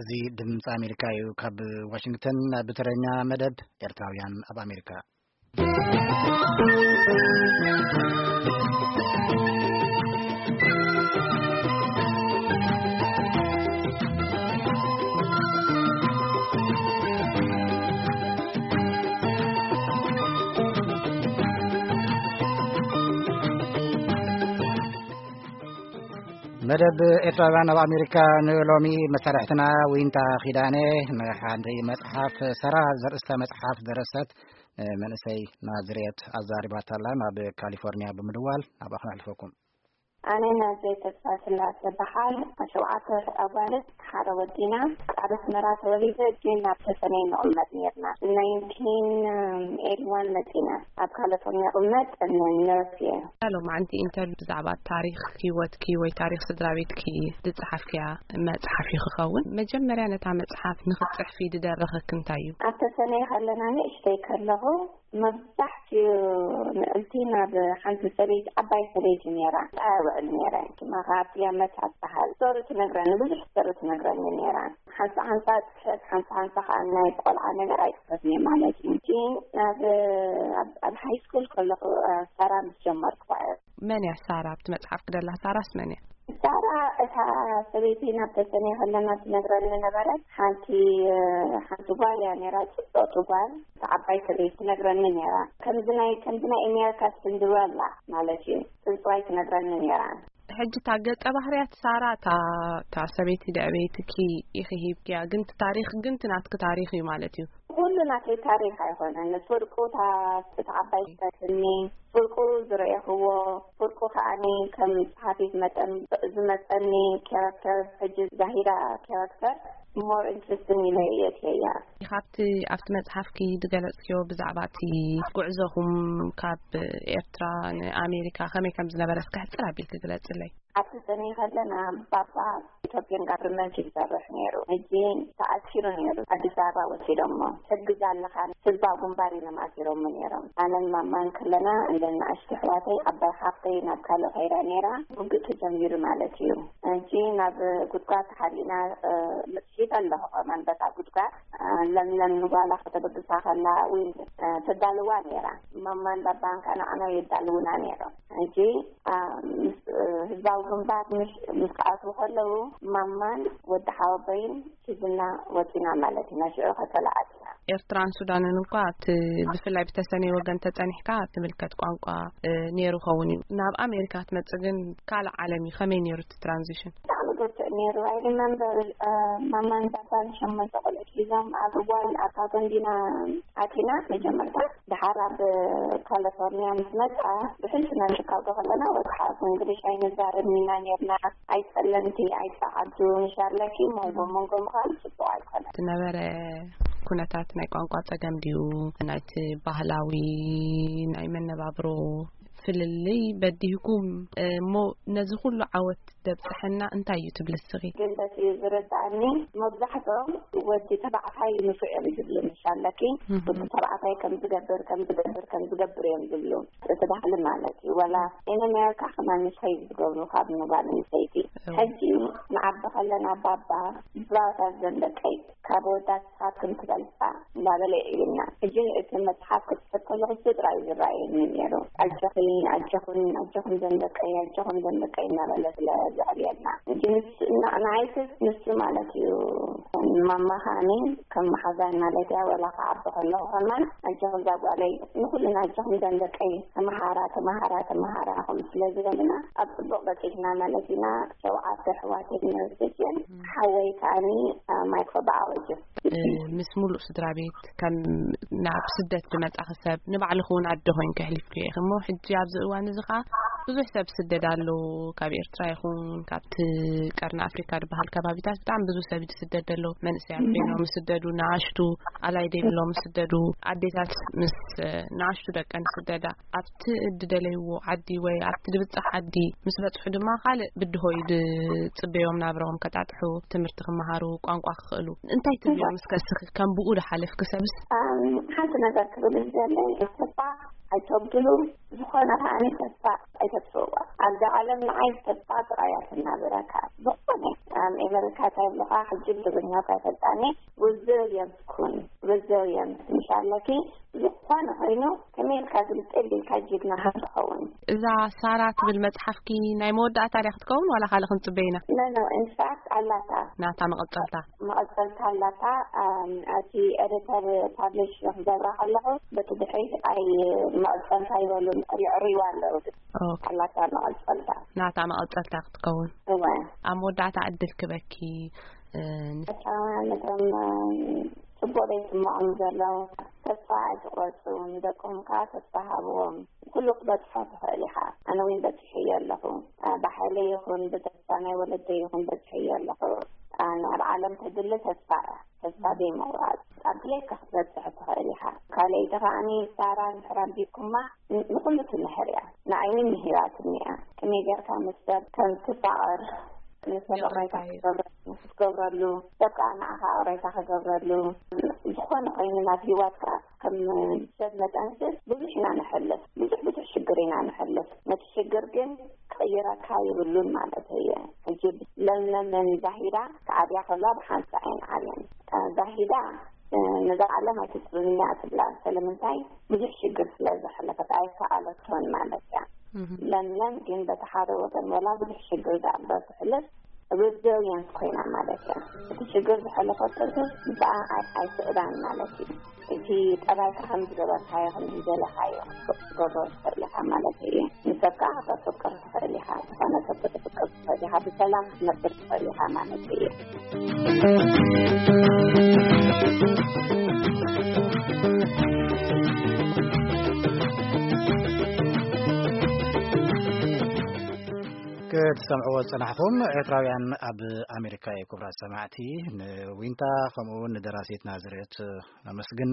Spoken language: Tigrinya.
እዚ ድምፂ ኣሜሪካ እዩ። ካብ ዋሽንግተን ብትረኛ መደብ ኤርትራውያን ኣብ ኣሜሪካ። መደብ ኤርትራውያን ኣብ ኣሜሪካ ንሎሚ መሳርሕትና ዊንታ ኪዳነ ንሓንቲ መጽሓፍ ሰራ ዘርእስታ መጽሓፍ ደረሰት መንእሰይ ናዝሬት ኣዛሪባታላ ናብ ካሊፎርኒያ ብምድዋል ናብኣ ክነሕልፈኩም። ኣነ ናዘይ ተስፋ ስላሴ በሃል። ሸውዓተ ኣጓልት ሓደ ወዲና። ኣብ ኣስመራ ተወሊደ፣ ግን ናብ ተሰነይ ንቕመጥ ነርና። ናይንቲን ኤይቲዋን መጺና። ኣብ ካሊፎርኒያ ቅመጥ ነርስ እየ። ሎማዓንቲ ኢንተርቪው ብዛዕባ ታሪኽ ህይወትኪ ወይ ታሪኽ ስድራ ቤትኪ ዝጸሓፍክያ መጽሓፍ እዩ ክኸውን። መጀመርያ ነታ መጽሓፍ ንኽትጽሕፊ ዝደረኸኪ እንታይ እዩ? ኣብ ተሰነይ ከለና ንእሽተይ ከለኹ መብዛሕትኡ ምእንቲ ናብ ሓንቲ ሰበይቲ፣ ዓባይ ሰበይቲ ነይራ። ኣውዕል ነይረ። ድማ ካብ ያመት ኣትበሃል። ዞር ትነግረኒ፣ ብዙሕ ዞር ትነግረኒ ነይራ። ሓንሳ ሓንሳ ጽሕፍ፣ ሓንሳ ሓንሳ ከኣ ናይ ቆልዓ ነገር ኣይጽሕፍን እየ ማለት እዩ። ግን ናብ፣ ኣብ፣ ኣብ ሃይ ስኩል ከለኹ፣ እ፣ ሰራ ምስ ጀመርኩ እየ። መን እያ ሳራ? ኣብቲ መጽሓፍ ክደላ ሳራስ መን እያ? ሳራ እታ ሰበይቲ ናብ ተሰነይ ከለና ትነግረኒ ነበረት። ሓንቲ፣ እ፣ ሓንቲ ጓል እያ ነይራ፣ ጽብቕቲ ጓል። እታ ዓባይ ሰበይቲ ትነግረኒ ነይራ። ከምዚ ናይ፣ ከምዚ ናይ ኣሜሪካ ስንድረላ ማለት እዩ። ጽንጽዋይ ትነግረኒ ነይራ። ሕጂ እታ ገጸ ባህርያት ሳራ፣ እታ፣ እታ ሰበይቲ ደዕበይትኪ ኢኺ ሂብክያ፣ ግን እቲ ታሪኽ ግን እቲ ናትኪ ታሪኽ እዩ ማለት እዩ። ኩሉ ናተይ ታሪኽ ኣይኮነን። ፍርቁ እታ፣ እታ ዓባይ ዝተትኒ፣ ፍርቁ ዝረኤኽዎ፣ ፍርቁ ከኣኒ ከም ጸሓፊት መጠን ዝመጸኒ ካራክተር፣ ሕጂ ዛሂራ ካራክተር ሞር ኢንትረስቲንግ ኢለ እየ እትየያ። ካብቲ ኣብቲ መጽሓፍኪ ዝገለጽክዮ ብዛዕባ እቲ ጉዕዞኹም ካብ ኤርትራ ንኣሜሪካ ከመይ ከም ዝነበረ እስከ ሕጽር ኣቢልኪ ግለጽለይ። ኣብቲ ሰኒ ከለና ባባ ኢትዮጵያን ጋቨርንመንት ይሰርሕ ነይሩ። ሕጂ ተኣሲሩ ነይሩ። ኣዲስ ኣበባ ወሲዶሞ። ሕግዝ ኣለኻ፣ ህዝባዊ ግንባር ኢሎም ኣሲሮሞ ነይሮም። ኣነን ማማን ከለና፣ እንደ ንኣሽቱ ኣሕዋተይ፣ ዓባይ ሓፍተይ ናብ ካልእ ከይዳ ነይራ። ውግእ ተጀሚሩ ማለት እዩ። ሕጂ ናብ ጉድጓድ ተሓቢእና፣ እ፣ መጽሒፍ ኣለኹ ከማን በታ ጉድጓድ። እ፣ ለምለም ንጓላ ከተበግሳ ከላ እውን፣ እ፣ ተዳልዋ ነይራ። ማማን ባባን ከኣ ንዓና የዳልውና ነይሮም። ሕጂ፣ እ፣ ምስ፣ እ፣ ህዝባዊ ግንባር ምስ፣ ምስ ክኣትዉ ከለዉ ማማን ወዲ ሓወቦይን ሒዝና ወጺና ማለት ኢና። ሽዑ ከተላ ኣቲና። ኤርትራን ሱዳንን እንኳ እቲ ብፍላይ ብተሰነይ ወገን ተጸኒሕካ ትምልከት ቋንቋ፣ እ፣ ነይሩ ኸውን እዩ። ናብ ኣሜሪካ ክትመጽእ ግን ካልእ ዓለም እዩ። ከመይ ነይሩ እቲ ትራንዚሽን? ብጣዕሚ ብርቱዕ ነይሩ። ኣይ ሪመምበር፣ እ፣ ማማን ባባን ሸሞንተ ቆልዑት ሒዞም ኣብ እዋን ኣብታ ጎንዲና ኣቲና መጀመርታ። ደሓር ኣብ ካሊፎርኒያ ምስ መጻ ብሕልፊ ናብ ሺካጎ ከለና ወጽሓ እንግሊሽ ኣይንዛረብን ኢና ነርና። ኣይጸለምቲ፣ ኣይጸዓዱ፣ ንሻርለኪ መንጎ መንጎ ምዃን ጽቡቕ ኣይኮነን። ዝነበረ ኩነታት ናይ ቋንቋ ጸገም ድዩ? ናይቲ ባህላዊ ናይ መነባብሮ ፍልልይ በዲህኩም እሞ ነዚ ኩሉ ዓወት ደብጽሐና እንታይ እዩ ትብሊ እስኺ? ግን በቲ ዝርድኣኒ መብዛሕትኦም ወዲ ተባዕታይ ንፉዕ እዮም ዝብሉ፣ ንሻለኪ እህ። ወዲ ተባዕታይ ከም ዝገብር፣ ከም ዝገብር፣ ከም ዝገብር እዮም ዝብሉ። እቲ ባህሊ ማለት እዩ። ወላ ኢን ኣሜሪካ ከማን ንሰይ ዝገብሩ ካብ ንጓል ንሰይቲ። እው። ሕጂ ንዓቢ ከለና ባባ ብዛዕባታት ዘን ደቀይ ካብ ወዳት ስኻትክን ትበልጻ እንዳበለ ይዕብና። ሕጂ እቲ መጽሓፍ ክጽሕፍ ከለኹ እሱ ጥራይ ዝረኣየኒ ነይሩ። ኣጆኺ፣ ኣጆኹን፣ ኣጆኹም ዘን ደቀይ፣ ኣጆኹም ዘን ደቀይ እናበለ ስለ ዘዕብየና። ሕጂ ንሱ፣ ና-፣ ንዓይስ ንሱ ማለት እዩ ማማ ከኣኒ ከም መሓዛይ ማለት እያ። ወላ ክዓቢ ከለኹ ከማን ኣጆኹም እዛ ጓለይ፣ ንኹልና ኣጆኹም ዘን ደቀይ ተመሃራ፣ ተመሃራ፣ ተመሃራ ከም ስለ ዝበልና ኣብ ጽቡቕ በጺሕና ማለት ኢና። ሸውዓተ ኣሕዋት ዩኒቨርሲቲ ሓወይ ከኣኒ፣ አ፣ ማይክሮባዮሎጂ። እ፣ ምስ ሙሉእ ስድራ ቤት ከም ናብ ስደት ዝመጻኺ ሰብ ንባዕልኺ እውን ኣደ ኮይንኪ ኣሕሊፍክዮ ኢኺ እሞ፣ ሕጂ ኣብዚ እዋን እዚ ኸኣ ብዙሕ ሰብ ስደድ ኣሎ። ካብ ኤርትራ ይኹን ካብቲ ቀርኒ ኣፍሪካ ዝበሃል ከባቢታት ብጣዕሚ ብዙሕ ሰብ ዝስደድ ዘሎ። መንእሰያት ኮይኖም ዝስደዱ፣ ንኣሽቱ ኣላይ ዘይብሎም ዝስደዱ፣ ኣዴታት ምስ፣ እ፣ ንኣሽቱ ደቀን ዝስደዳ። ኣብቲ እድደለይዎ ዓዲ ወይ ኣብቲ ድብጻሕ ዓዲ ምስ በጽሑ ድማ ካልእ ብድሆ እዩ ዝጽበዮም፣ ናብራኦም ከጣጥሑ፣ ትምህርቲ ክመሃሩ፣ ቋንቋ ክኽእሉ። እንታይ ትብልዮም እስከ እስኺ ከም ብኡ ዝሓለፍኪ ሰብስ? ኣም፣ ሓንቲ ነገር ክብል ዝደለይ፣ እባ ኣይተብድሉ። ዝኾነ ከዓኒ ተስፋ ኣይተጥፍእዋ። ኣብዚ ዓለም ንዓይ ተስፋ ጥራይ እያ ትናበረካ። ዝኾነ ኣብ ኤመሪካ እንታይ ይብሉኻ፣ ሕጂ ብትግርኛ እኳ ኣይፈልጣኒ፣ ሪዚልየንት ኩን፣ ሪዚልየንት ምሽ ኣለኪ። ዝኾነ ኮይኑ ከመይ ኢልካ ግልጽ ኢልካ ጅግና ከም ትኸውን። እዛ ሳራ ትብል መጽሓፍኪ ናይ መወዳእታ ድያ ክትከውን ዋላ ካልእ ክንጽበ ኢና? ኖ፣ ኖ፣ ኢንፋክት ኣላታ። ናታ መቐጸልታ። መቐጸልታ ኣላታ። ኣም፣ እቲ ኤዲተር ፓብሊሽ ክገብራ ከለኹ በቲ ድሕሪት ኣይ መቐጸልታ ይበሉን የዕርይዋ ኣለዉ። ኦኬ። ኣላታ መቐጸልታ። ናታ መቐጸልታ ክትከውን። እወ። ኣብ መወዳእታ ዕድል ክበኪ፣ እ፣ ንስ- ኣታ ነቶም፣ እ፣ ጽቡቕ ዘይስምዖም ዘለዉ ተስፋ ኣይትቑረጹ። ንደቆም ከኣ ተስፋ ሃብዎም። ኩሉ ክትበጽሖ ትኽእል ኢኻ። ኣነ እውን በጺሐዮ ኣለኹ። እ፣ ብሓይለይ ይኹን ብተስፋ ናይ ወለደይ ይኹን በጺሐዮ ኣለኹ። እ፣ ናብ ዓለም ተድሊ ተስፋ እያ። ተስፋ ዘይምቑራጽ። ኣብ ድሌትካ ክትበጽሕ ትኽእል ኢኻ። ካልኣይቲ ከኣኒ ሳራ እንድሕር ኣንቢብኩማ ን-፣ ንኹሉ ትምህር እያ። ንዓይ እውን ምሂራትኒ እያ። ከመይ ጌርካ ምስ ሰብ ከም ትፋቐር፣ ንሰብ ይቕሬታ ይቕሬታ ይብል። ክትገብረሉ፣ ክትገብረሉ፣ ሰብ ከኣ ንዓኻ ይቕሬታ ክገብረሉ፣ ዝኾነ ኮይኑ ናብ ህይወትካ ከም ሰብ መጠንሲ ብዙሕ ኢና ንሕልፍ። ብዙሕ፣ ብዙሕ ሽግር ኢና ንሕልፍ። ነቲ ሽግር ግን ክቕይረካ ይብሉን ማለት እየ። ሕጂ ለምለምን ዛሂዳ ክዓብያ ከለዋ ብሓንሳእ እየን ዓብየን። እ፣ ዛሂዳ፣ እ፣ ነዛ ዓለም ኣይትጥልንያ ትብላ። ስለምንታይ? ብዙሕ ሽግር ስለ ዘሕለፈት ኣይከኣለቶን ማለት እያ። እህ። ለምለም ግን በቲ ሓደ ወገን ወላ ብዙሕ ሽግር ደኣ እምበር ትሕልፍ፣ ሪዚልየንት ኮይና ማለት እያ። እቲ ሽግር ዝሓለፈቶ ግን ብኣ ኣይ-፣ ኣይስዕዳን ማለት እዩ። እቲ ጠባይካ ከም ዝገበርካዮ፣ ከም ዝደለኻዮ ክትገብሮ ትኽእል ኢኻ ማለት እዩ። ንሰብ ከኣ ከተፍቅር ትኽእል ኢኻ። ዝኾነ ሰብ ከተፍቅር ትኽእል ኢኻ። ብሰላም ክትነብር ትኽእል ኢኻ ማለት እዩ። ክትሰምዕዎ ዝጸናሕኹም ኤርትራውያን ኣብ ኣሜሪካ እዩ። ክቡራት ሰማዕቲ፣ ንዊንታ ከምኡ እውን ንደራሲት ናዝሬት ነመስግን።